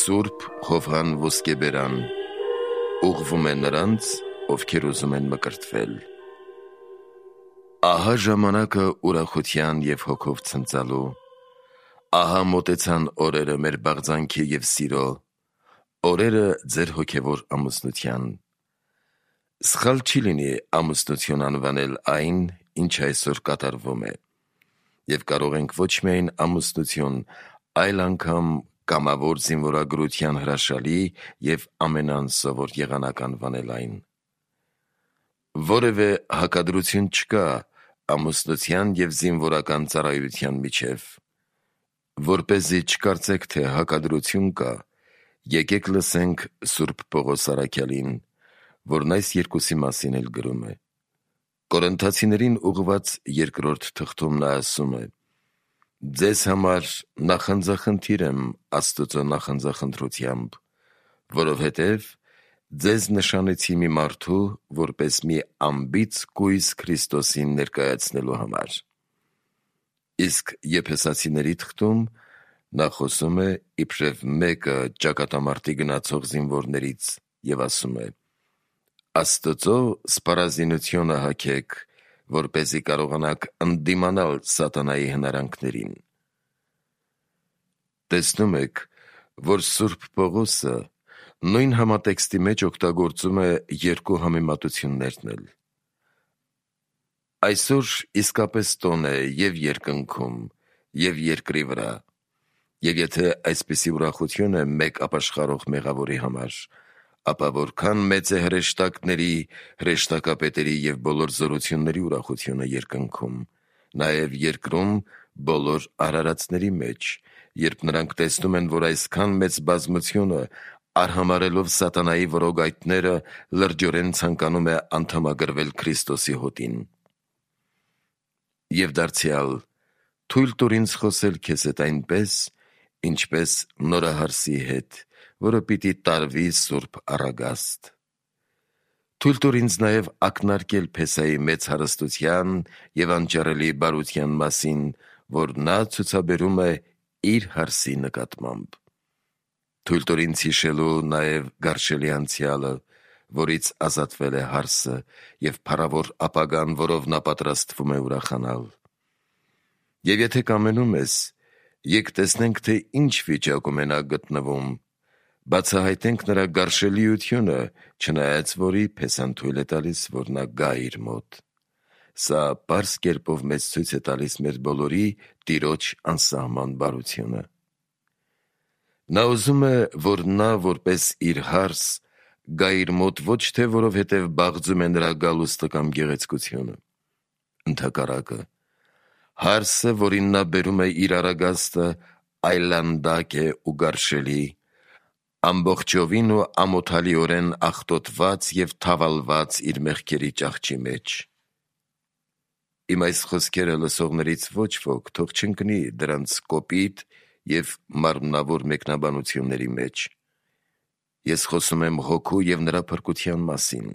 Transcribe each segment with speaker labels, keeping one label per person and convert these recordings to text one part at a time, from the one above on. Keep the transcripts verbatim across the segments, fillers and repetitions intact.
Speaker 1: Սուրբ Ղովղան ոսկեբերան ուղղվում է նրանց, ովքեր ուզում են մկրտվել։ Ահա ժամանակը ուրախության և հոգով ցնծալու, ահա մոտեցան օրերը մեր բաղձանքի և սիրո, օրերը ձեր հոգևոր ամուսնության։ Սխալ չի լինի ամուսնություն անվանել այն, ինչ այսօր կատարվում է, և կարող ենք ոչ միայն ամուսնություն, այլ անգամ կամավոր զինվորագրության հրաշալի և ամենաանսովոր եղանակ անվանել այն։ Որևէ հակադրություն չկա ամուսնության և զինվորական ծառայության միջև։ Որպեսզի չկարծեք, թե հակադրություն կա, եկեք լսենք Սուրբ Պողոս առաքյալին, որն այս երկուսի մասին էլ գրում է։ Կորինթացիներին ուղղված երկրորդ թղթում նա ասում է. «Ձեզ համար նախանձախնդիր եմ Աստծո նախանձախնդրությամբ, որովհետև ձեզ նշանեցի մի մարդու, որպես մի անբիծ կույս Քրիստոսին ներկայացնելու համար»։ Իսկ Եփեսացիների թղթում նա խոսում է իբրև մեկը ճակատամարտի գնացող զինվորներից և ասում է. «Աստծո սպառազինությունը հագեք, որպեսզի կարողանաք ընդդիմանալ սատանայի հնարանքներին»։ Տեսնում եք, որ Սուրբ Պողոսը նույն համատեքստի մեջ օգտագործում է երկու համեմատություններն էլ։ Այսօր իսկապես տոն է և երկնքում, և երկրի վրա, և եթե այսպիսի ուրախություն է մեկ ապաշխարող մեղավորի համար, ապա որքան մեծ է հրեշտակների, հրեշտակապետերի և բոլոր զորությունների ուրախությունը երկնքում, նաև երկրում բոլոր արարածների մեջ, երբ նրանք տեսնում են, որ այսքան մեծ բազմությունը, արհամարհելով սատանայի որոգայթները, լրջորեն ցանկանում է անդամագրվել Քրիստոսի հոտին։ Եվ դարձյալ, թույլ տուր ինձ խոսել քեզ հետ այնպես, ինչպես նորահարսի հետ, որը պիտի տարվի սուրբ առագաստ։ Թույլ տուր ինձ նաև ակնարկել Փեսայի մեծ հարստության և անճարելի բարության մասին, որ նա ցուցաբերում է իր հարսի նկատմամբ։ Թույլ տուր ինձ հիշելու նաև գարշելի անցյալը, որից ազատվել է հարսը, և փառավոր ապագան, որով նա պատրաստվում է ուրախանալ։ Եվ եթե կամենում ես, եկ տեսնենք, թե ինչ վիճակում է նա գտնվում, բացահայտենք նրա գարշելիությունը, չնայած որի Փեսան թույլ է տալիս, որ նա գա իր մոտ։ Սա պարզ կերպով մեզ ցույց է տալիս մեր բոլորի Տիրոջ անսահման բարությունը։ Նա ուզում է, որ նա, որպես իր հարս, գա իր մոտ ոչ թե որովհետև բաղձում է նրա գալուստը կամ գեղեցկությունը։ Ընդհակառակը, հարսը, որին նա բերում է իր առագաստը, այլանդակ է ու գարշելի, ամբողջովին ու ամոթալիորեն աղտոտված և թավալված իր մեղքերի ճահճի մեջ։ Իմ այս խոսքերը լսողներից ոչ ոք թող չընկնի դրանց կոպիտ և մարմնավոր մեկնաբանությունների մեջ։ Ես խոսում եմ Հոգու և նրա փրկության մասին։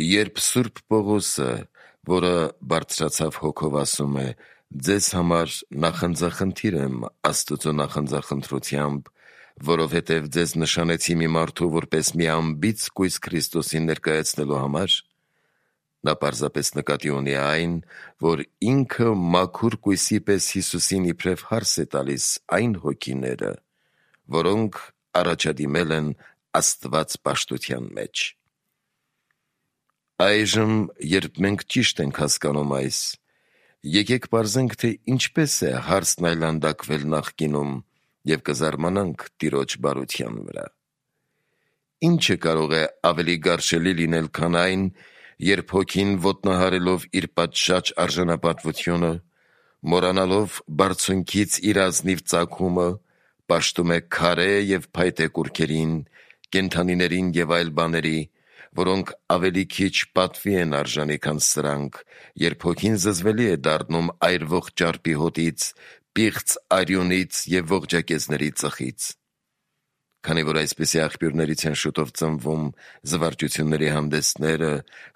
Speaker 1: Երբ Սուրբ Պողոսը, որը բարձրացավ Հոգով, ասում է. «Ձեզ համար նախանձախնդիր եմ Աստծո նախանձախնդրությամբ, որովհետև ձեզ նշանեցի մի մարդու, որպես մի անբիծ կույս Քրիստոսին ներկայացնելու համար», նա պարզապես նկատի ունի այն, որ ինքը մաքուր կույսի պես Հիսուսին իբրև հարս է տալիս այն հոգիները, որոնք առաջադիմել են Աստված պաշտության մեջ։ Այժմ, երբ մենք ճիշտ ենք հասկանում այս, եկեք պարզենք, թե ինչպես է հարսն այլանդակվել նախկինում և կզարմանանք Տիրոջ բարության վրա։ Ինչը կարող է ավելի գարշելի լինել, քան այն, երբ հոգին ոտնահարելով իր պատշաճ արժանապատվությունը, մոռանալով բարձունքից իր ազնիվ ծագումը, պաշտում է քարե և փայտե կուռքերին, կենդանիներին և այլ բաների, որոնք ավելի քիչ պատվի են արժանի, քան սրանք, երբ հոգին զզվելի է դառնում այրվող ճարպի հոտից, պիղծ արյունից և ողջակեզների ծխից։ Քանի որ այսպիսի աղբյուրներից են շուտով ծնվում զվարճությունների հանդեսները,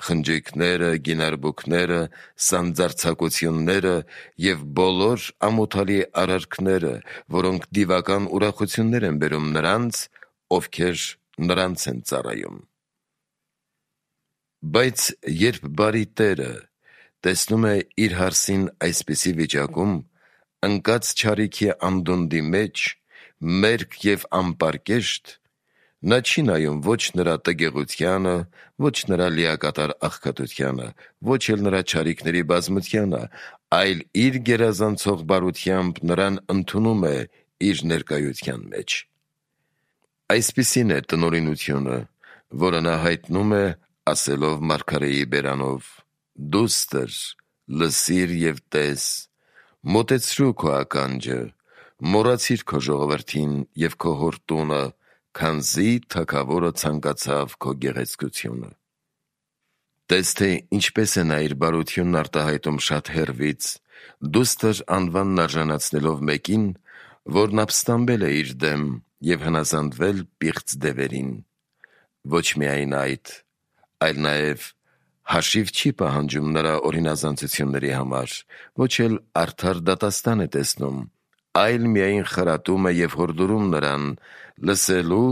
Speaker 1: խնջույքները, գինարբուքները, սանձարձակությունները և բոլոր ամոթալի արարքները, որոնք դիվական ուրախություններ են բերում նրանց, ովքեր նրանց են ծառայում։ Բայց երբ բարի Տերը տեսնում է իր հարսին այսպիսի վիճակում, ընկած չարիքի անդունդի մեջ, մերկ և անպարկեշտ, նա չի նայում ոչ նրա տգեղությանը, ոչ նրա լիակատար աղքատությանը, ոչ էլ նրա չարիքների բազմությանը, այլ իր գերազանցող բարությամբ նրան ընդունում է իր ներկայության մեջ։ Այսպիսին է տնօրինությունը, որը նա հայտնում է, ասելով մարգարեի բերանով. «Դուստր, լսիր և տես, մոտեցրու քո ականջը, մոռացիր քո ժողովրդին և քո հոր տունը, քանզի թագավորը ցանկացավ քո գեղեցկությունը»։ Տես թե ինչպես է նա իր բարությունն արտահայտում շատ հեռվից, դուստր անվանն արժանացնելով մեկին, որն ապստամբել է իր դեմ և հնազանդվել պիղծ դևերին։ Ոչ միայն այդ, այլ նաև հաշիվ չի պահանջում նրա օրինազանցությունների համար, ոչ էլ արդար դատաստան է տեսնում, այլ միայն խրատում է և հորդորում նրան լսելու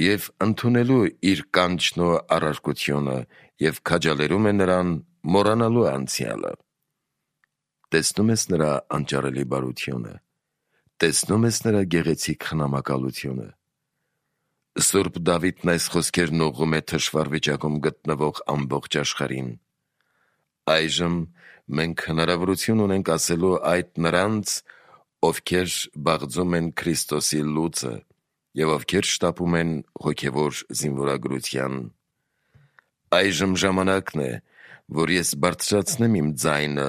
Speaker 1: և ընդունելու իր կանչն ու առարկությունը և քաջալերում է նրան մոռանալու անցյալը։ Տեսնո՞ւմ ես նրա անճարելի բարությունը, տեսնո՞ւմ ես նրա գեղեցիկ խնամակալությունը։ Սուրբ Դավիթն այս խոսքերն ուղղում է թշվառ վիճակում գտնվող ամբողջ աշխարհին։ Այժմ մենք հնարավորություն ունենք ասելու այդ նրանց, ովքեր բաղձում են Քրիստոսի լուծը և ովքեր շտապում են հոգևոր զինվորագրության։ Այժմ ժամանակն է, որ ես բարձրացնեմ իմ ձայնը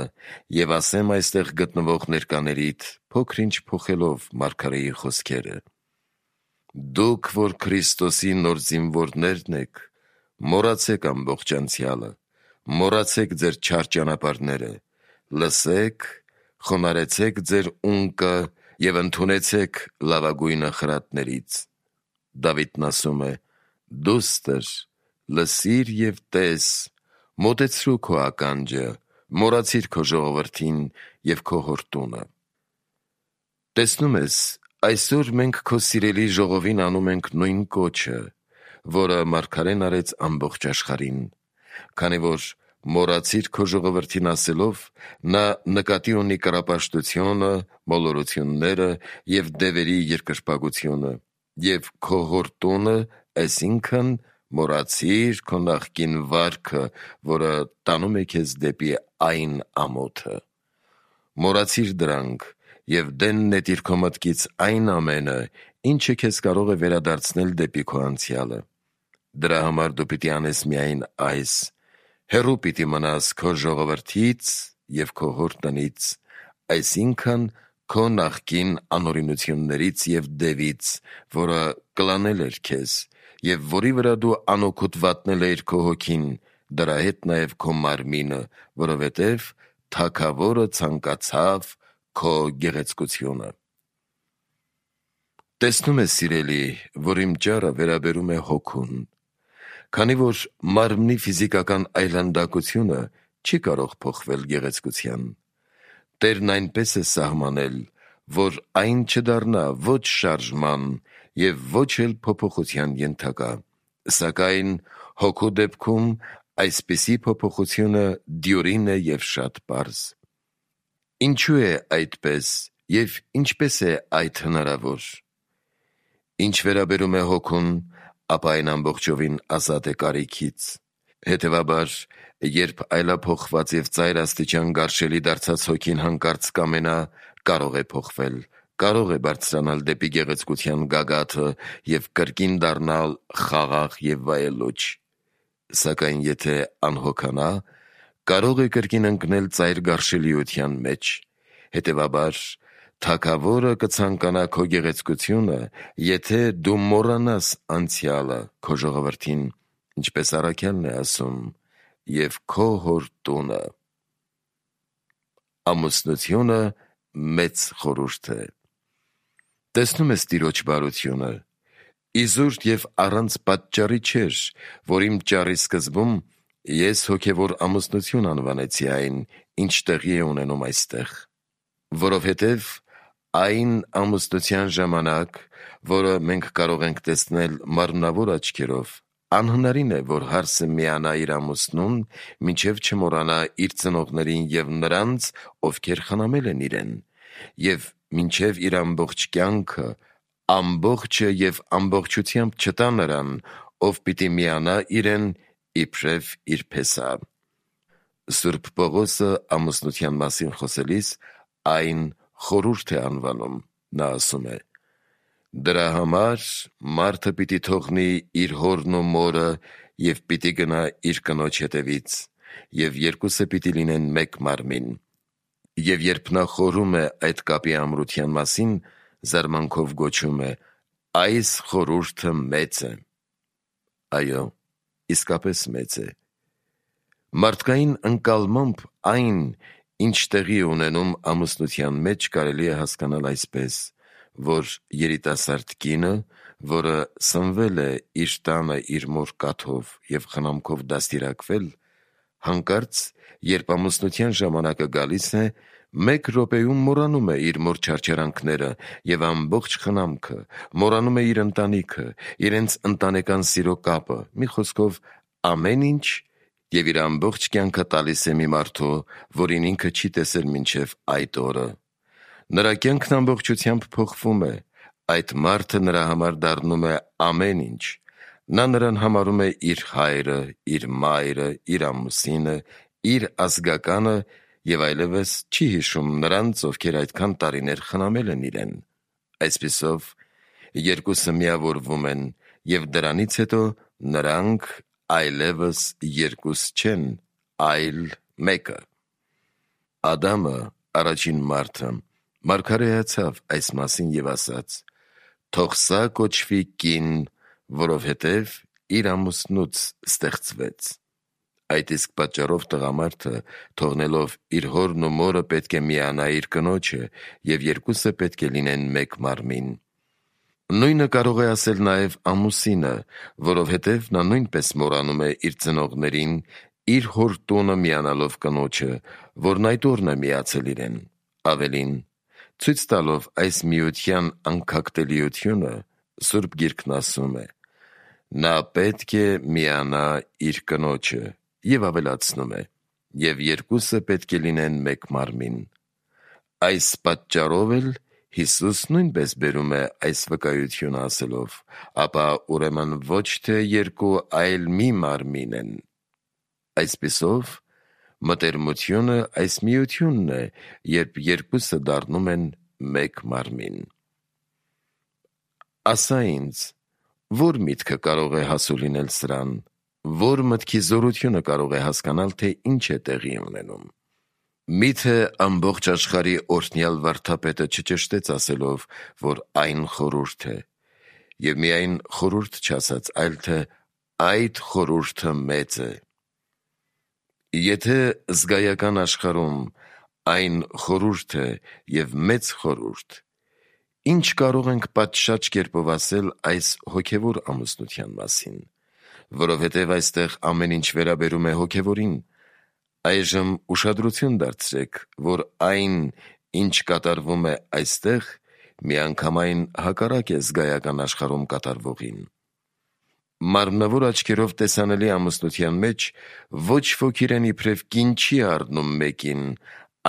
Speaker 1: և ասեմ այստեղ գտնվող ներկաներիդ, փոքր-ինչ փոխելով մարգարեի խոսքերը. «Դուք, որ Քրիստոսի նոր զինվորներն եք, մոռացեք ամբողջ անցյալը, մոռացեք ձեր չար ճանապարհները, լսեք, խոնարհեցեք ձեր ունկը և ընդունեցեք լավագույնը խրատներից»։ Դավիթն ասում է. «Դուստր, լսիր և տես, մոտեցրու քո ականջը, մոռացիր քո ժողովրդին և քո հոր տունը»։ Տեսնում ես, այսօր մենք քո սիրելի ժողովին անում ենք նույն կոչը, որը մարգարեն արեց ամբողջ աշխարհին, քանի որ մոռացիր քո ժողովրդին ասելով, նա նկատի ունի կռապաշտությունը, մոլորությունները և դևերի երկրպագությունը, և քո հոր տունը, այսինքն մոռացիր քո նախկին վարքը, որը տանում է քեզ դեպի այն ամոթը։ Մոռացիր դրանք և դեն նետիր քո մտքից այն ամենը, ինչը քեզ կարող է վերադարձնել դեպի քո անցյալը։ Դրա համար դու պիտի անես միայն այս. հեռու պիտի մնաս քո ժողովրդից և քո հոր տնից, այսինքն քո նախկին անօրենություններից և դևից, որը կլանել էր քեզ, և որի վրա դու անօգուտ վատնել էիր քո հոգին, դրա հետ նաև քո մարմինը, որովհետև թագավորը ցանկացավ քո գեղեցկությունը։ Տեսնում ես, սիրելի, որ իմ ճառը վերաբերում է հոգուն, քանի որ մարմնի ֆիզիկական այլանդակությունը չի կարող փոխվել գեղեցկության։ Տերն այնպես է սահմանել, որ այն չդառնա ոչ շարժման և ոչ էլ փոփոխության ենթակա, սակայն հոգու դեպքում այսպիսի փոփոխությունը դյուրին է և շատ պարզ։ Ինչու է այդպես և ինչպես է այդ հնարավոր։ Ինչ վերաբերում է հոգուն, ապա այն ամբողջովին ազատ է կարիքից։ Հետևաբար, երբ այլափոխված և ծայր աստիճան գարշելի դարձած հոգին հանկարծ կամենա, կարող է փոխվել, կարող է բարձրանալ դեպի գեղեցկության գագաթը և կրկին դառնալ խաղաղ և վայելուչ։ Սակայն եթե անհոգանա, կարող է կրկին ընկնել ծայր գարշելիության մեջ։ Հետևաբար, թագավորը կցանկանա քո գեղեցկությունը, եթե դու մոռանաս անցյալը քո ժողովրդին, ինչպես առաքյալն է ասում, և քո հոր տունը։ Ամուսնությունը մեծ խորհուրդ է։ Տեսնում ես Տիրոջ բարությունը, Իզուր և առանց պատճառի չէր, որ իմ ճառի սկզբում ես հոգևոր ամուսնություն անվանեցի այն, ինչ տեղի է ունենում այստեղ, որովհետև այն ամուսնության ժամանակ, որը մենք կարող ենք տեսնել մարմնավոր աչքերով, անհնարին է, որ հարսը միանա իր ամուսնուն, մինչև չմոռանա իր ծնողներին և նրանց, ովքեր խնամել են իրեն, և մինչև իր ամբողջ կյանքը ամբողջը և ամբողջությամբ չտա նրան, ով պիտի միանա իրեն իբրև իր փեսա։ Սուրբ Պողոսը ամուսնության մասին խոսելիս այն խորհուրդ է անվանում, նա ասում է. «Դրա համար մարդը պիտի թողնի իր հորն ու մորը և պիտի գնա իր կնոջ հետևից, և երկուսը պիտի լինեն մեկ մարմին»։ Եվ երբ նա խորհում է այդ կապի ամրության մասին, զարմանքով գոչում է. «Այս խորհուրդը մեծ է»։ Այո, իսկապես մեծ է։ Մարդկային ընկալմամբ այն, ինչ տեղի է ունենում ամուսնության մեջ, կարելի է հասկանալ այսպես, որ երիտասարդ կինը, որը սնվել է իր տանը իր մոր կաթով և խնամքով դաստիարակվել, հանկարծ, երբ ամուսնության ժամանակը գալիս է, մեկ րոպեում մոռանում է իր մոր չարչարանքները և ամբողջ խնամքը, մոռանում է իր ընտանիքը, իրենց ընտանեկան սիրո կապը, մի խոսքով ամեն ինչ, և իր ամբողջ կյանքը տալիս է մի մարդու, որին ինքը չի տեսել մինչև այդ օրը։ Նրա կյանքն ամբողջությամբ փոխվում է, այդ մարդը նրա համար դառնում է ամեն ինչ, նա նրան համարում է իր հայրը, իր մայրը, իր ամուսինը, իր ազգականը և այլևս չի հիշում նրանց, ովքեր այդքան տարիներ խնամել են իրեն։ Այսպիսով, երկուսը միավորվում են, և դրանից հետո նրանք այլևս երկուս չեն, այլ մեկը։ Ադամը, առաջին մարդը, մարգարեացավ այս մասին և ասաց. «Թող սա կոչվի կին, որովհետև իր ամուսնուց ստեղծվեց»։ Այդ իսկ պատճառով տղամարդը, թողնելով իր հորն ու մորը, պետք է միանա իր կնոջը, և երկուսը պետք է լինեն մեկ մարմին։ Նույնը կարող է ասել նաև ամուսինը, որովհետև նա նույնպես մոռանում է իր ծնողներին, իր հոր տունը միանալով կնոջը, որն այդ օրն է միացել իրեն։ Ավելին, ցույց տալով այս միության անքակտելիությունը, Սուրբ Գիրքն ասում է. «Նա պետք է միանա իր կնոջը», և ավելացնում է. «Եվ երկուսը պետք է լինեն մեկ մարմին»։ Այս պատճառով էլ Հիսուս նույնպես բերում է այս վկայությունը ասելով. «Ապա ուրեմն ոչ թե երկու, այլ մի մարմին են»։ Այսպիսով, մտերմությունը այս միությունն է, երբ երկուսը դառնում են մեկ մարմին։ Ասա ինձ, ո՞ր միտքը կարող է հասու լինել սրան, ո՞ր մտքի զորությունը կարող է հասկանալ, թե ինչ է տեղի ունենում։ Մի՞թե ամբողջ աշխարհի օրհնյալ վարդապետը չճշտեց ասելով, որ այն խորհուրդ է, և միայն խորհուրդ չասաց, այլ թե այդ խորհուրդը մեծ է։ Եթե զգայական աշխարհում այն խորհուրդ է և մեծ խորհուրդ, ի՞նչ կարող ենք պատշաճ կերպով ասել այս հոգևոր ամուսնության մասին, որովհետև այստեղ ամեն ինչ վերաբերում է հոգևորին։ Այժմ ուշադրություն դարձրեք, որ այն, ինչ կատարվում է այստեղ, միանգամայն հակառակ է զգայական աշխարհում կատարվողին։ Մարմնավոր աչքերով տեսանելի ամուսնության մեջ ոչ ոք իրեն իբրև կին չի առնում մեկին,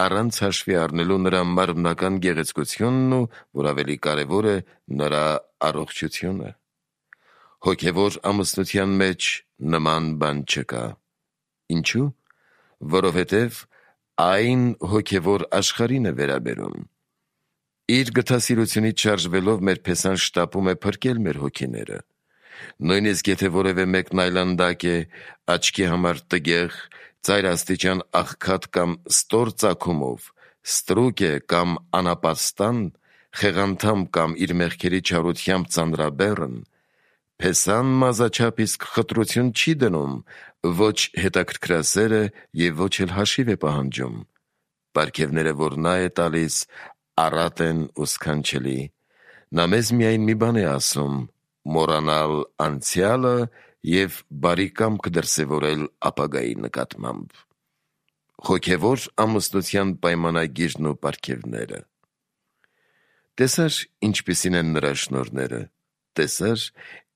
Speaker 1: առանց հաշվի առնելու նրա մարմնական գեղեցկությունն ու, որ ավելի կարևոր է, նրա առողջությունը։ Հոգևոր ամուսնության մեջ նման բան չկա։ Ինչու՞։ Որովհետև այն հոգևոր աշխարհին է վերաբերում։ Իր գթասիրությունից շարժվելով մեր փեսան շտապում է փրկել մեր հոգիները։ Նույնիսկ եթե որևէ մեկն այլանդակ է, աչքի համար տգեղ, ծայրաստիճան աղքատ կամ ստոր ծագումով, ստրուկ է կամ անապաստան, խեղանդամ կամ իր մեղքերի չարությամբ ծանրաբեռն, փեսան մազաչափ իսկ խտրություն չի դնում, ոչ հետաքրքրասեր է և ոչ էլ հաշիվ է պահանջում։ Պարգևները, որ նա է տալիս, առատ են ու սքանչելի։ Նա մեզ միայն մի բան է ասում. մոռանալ անցյալը և բարի կամք դրսևորել ապագայի նկատմամբ։ Հոգևոր ամուսնության պայմանագիրն ու պարգևները։ Տեսա՞ր ինչպիսին են նրա շնորհները, տեսա՞ր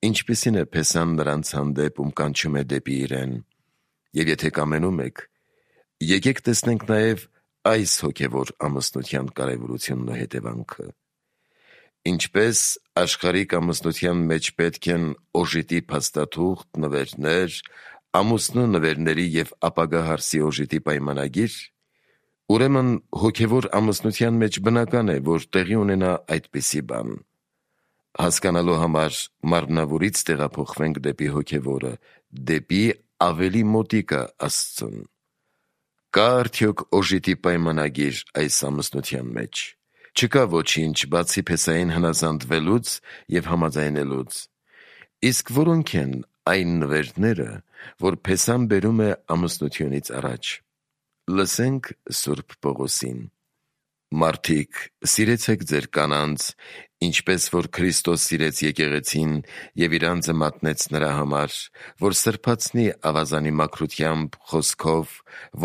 Speaker 1: ինչպիսին է Փեսան նրանց հանդեպ, ում կանչում է դեպի իրեն։ Եվ եթե կամենում եք, եկեք տեսնենք նաև այս հոգևոր ամուսնության կարևորությունն ու հետևանքը։ Ինչպես աշխարհիկ ամուսնության մեջ պետք են օժիտի փաստաթուղթ, նվերներ, ամուսնու նվերների և ապագա հարսի օժիտի պայմանագիր, ուրեմն հոգևոր ամուսնության մեջ բնական է, որ տեղի ունենա այդպիսի բան։ Հասկանալու համար մարմնավորից տեղափոխվենք դեպի հոգևորը, դեպի ավելի մոտիկը Աստծուն։ Կա արդյոք օժիտի պայմանագիր այս ամուսնության մեջ։ Չկա ոչինչ, բացի Փեսային հնազանդվելուց և համաձայնելուց։ Իսկ որոնք են այն նվերները, որ Փեսան բերում է ամուսնությունից առաջ։ Լսենք Սուրբ Պողոսին. «Մարդիկ, սիրեցեք ձեր կանանց, ինչպես որ Քրիստոս սիրեց եկեղեցին և իր անձը մատնեց նրա համար, որ սրբացնի ավազանի մաքրությամբ, խոսքով,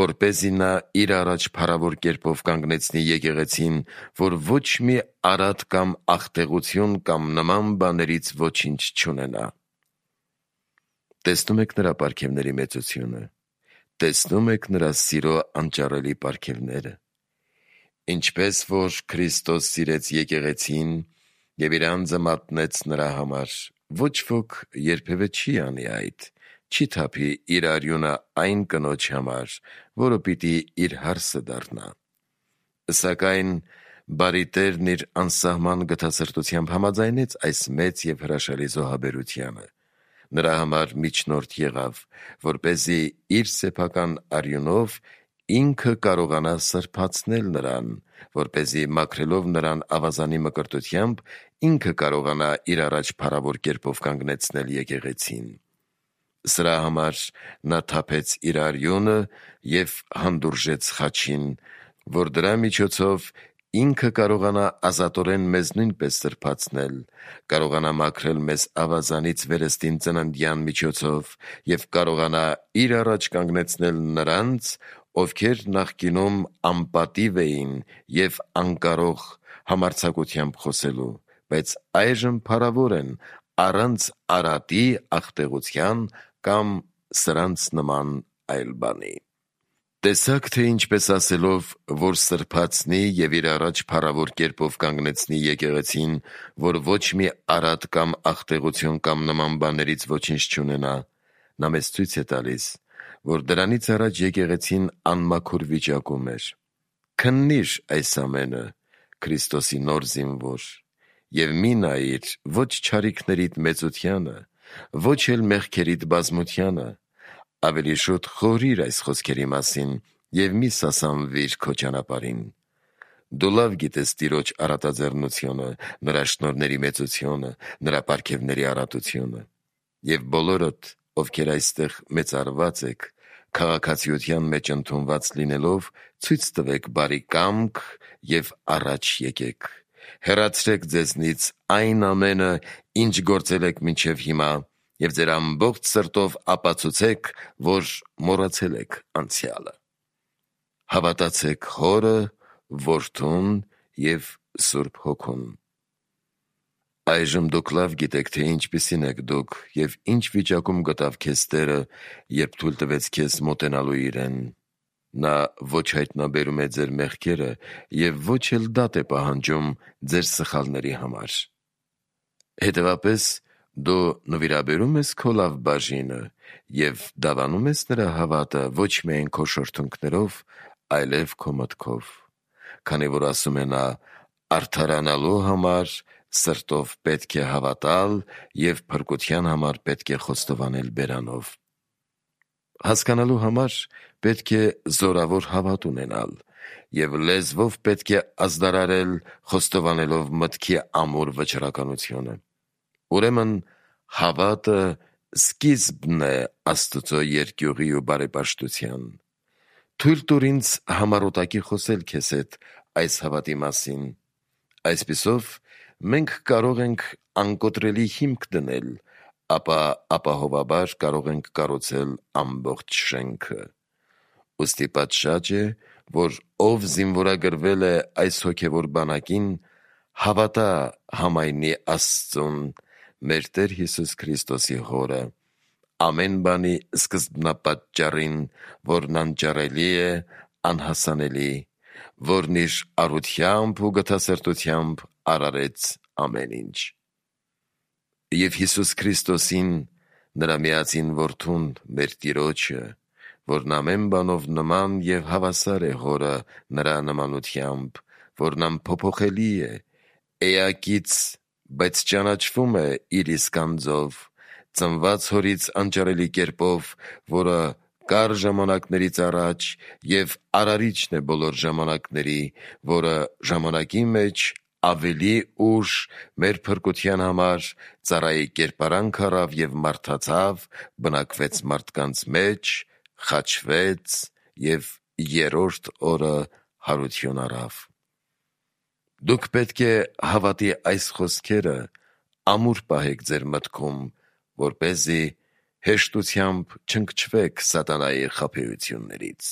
Speaker 1: որպեսզի նա իր առաջ փառավոր կերպով կանգնեցնի եկեղեցին, որ ոչ մի արատ կամ ախտեղություն կամ նման բաներից ոչինչ չունենա»։ Տեսնում եք նրա պարգևների մեծությունը, տեսնում եք նրա սիրո անճարելի պարգևները։ Ինչպես որ Քրիստոս սիրեց եկեղեցին և իր անձը մատնեց նրա համար, ոչ ոք երբևէ չի անի այդ, չի թափի իր արյունը այն կնոջ համար, որը պիտի իր հարսը դառնա։ Սակայն բարի Տերն իր անսահման գթասրտությամբ համաձայնեց այս մեծ և հրաշալի զոհաբերությանը, նրա համար միջնորդ եղավ, որպեսզի իր սեփական արյունով ինքը կարողանա սրբացնել նրան, որպեսզի մաքրելով նրան ավազանի մկրտությամբ, ինքը կարողանա իր առաջ փառավոր կերպով կանգնեցնել եկեղեցին։ Սրա համար նա թափեց իր արյունը և հանդուրժեց խաչին, որ դրա միջոցով ինքը կարողանա ազատորեն մեզ նույնպես սրբացնել, կարողանա մաքրել մեզ ավազանից վերստին ծննդյան միջոցով և կարողանա իր առաջ կանգնեցնել նրանց, ովքեր նախկինում անպատիվ էին և անկարող համարձակությամբ խոսելու, բայց այժմ փառավոր են առանց արատի, ախտեղության կամ սրանց նման այլ բանի։ Տեսաք, թե ինչպես ասելով, որ սրբացնի և իր առաջ փառավոր կերպով կանգնեցնի եկեղեցին, որ ոչ մի արատ կամ ախտեղություն կամ նման բաներից ոչինչ չունենա, նա մեզ ցույց է տալիս, որ դրանից առաջ եկեղեցին անմաքուր վիճակում էր։ Քննի՛ր այս ամենը, Քրիստոսի նոր զինվոր, և մի նայիր ոչ չարիքներիդ մեծությանը, ոչ էլ մեղքերիդ բազմությանը, ավելի շուտ խորհրի՛ր այս խոսքերի մասին և մի սասանվիր քո ճանապարհին։ Դու լավ գիտես Տիրոջ առատաձեռնությունը, նրա շնորհների մեծությունը, նրա պարգևների առատությունը։ Եվ բոլորդ, ովքեր այստեղ մեծարված եք, քաղաքացիության մեջ ընդունված լինելով, ցույց տվեք բարի կամք և առաջ եկեք։ Հեռացրեք ձեզնից այն ամենը, ինչ գործել եք մինչև հիմա, և ձեր ամբողջ սրտով ապացուցեք, որ մոռացել եք անցյալը։ Հավատացեք Հորը, Որդուն և Սուրբ Հոգուն։ Այժմ դուք լավ գիտեք, թե ինչպիսին եք դուք և ինչ վիճակում գտավ քեզ Տերը, երբ թույլ տվեց քեզ մոտենալու իրեն։ Նա ոչ հայտնաբերում է ձեր մեղքերը և ոչ էլ դատ է պահանջում ձեր սխալների համար։ Հետևաբար, դու նվիրաբերում ես քո լավ բաժինը և դավանում ես նրա հավատը ոչ միայն քո շրթունքներով, այլև քո մտքով, քանի որ ասում է նա. «Արդարանալու համար սրտով պետք է հավատալ և փրկության համար պետք է խոստովանել բերանով»։ Հասկանալու համար պետք է զորավոր հավատ ունենալ և լեզվով պետք է ազդարարել, խոստովանելով մտքի ամուր վճռականությունը։ Ուրեմն հավատը սկիզբն է Աստծո երկյուղի ու բարեպաշտության։ Թույլ տուր ինձ համառոտակի խոսել քեզ հետ այս հավատի մասին։ Այսպիսով մենք կարող ենք անկոտրելի հիմք դնել, ապա ապահովաբար կարող ենք կառուցել ամբողջ շենքը։ Ուստի պատշաճ է, որ ով զինվորագրվել է այս հոգևոր բանակին, հավատա համայնի Աստծուն, մեր Տեր Հիսուս Քրիստոսի Հորը, ամեն բանի սկզբնապատճառին, որն անճարելի է, անհասանելի, որն իր առությամբ ու գթասրտությամբ արարեց ամեն ինչ։ Եվ Հիսուս Քրիստոսին, նրա միածին որդուն, մեր Տիրոջը, որն ամեն բանով նման և հավասար է Հորը նրա նմանությամբ, որն անփոփոխելի է, էակից, բայց ճանաչվում է իր իսկ անձով, ծնված Հորից անճարելի կերպով, որը կար ժամանակներից առաջ և արարիչն է բոլոր ժամանակների, որը ժամանակի մեջ ավելի ուշ մեր փրկության համար ծառայի կերպարանք առավ և մարդացավ, բնակվեց մարդկանց մեջ, խաչվեց և երրորդ օրը հարություն առավ։ Դուք պետք է հավատի այս խոսքերը ամուր պահեք ձեր մտքում, որպեսզի հեշտությամբ չընկճվեք սատանայի խաբեություններից։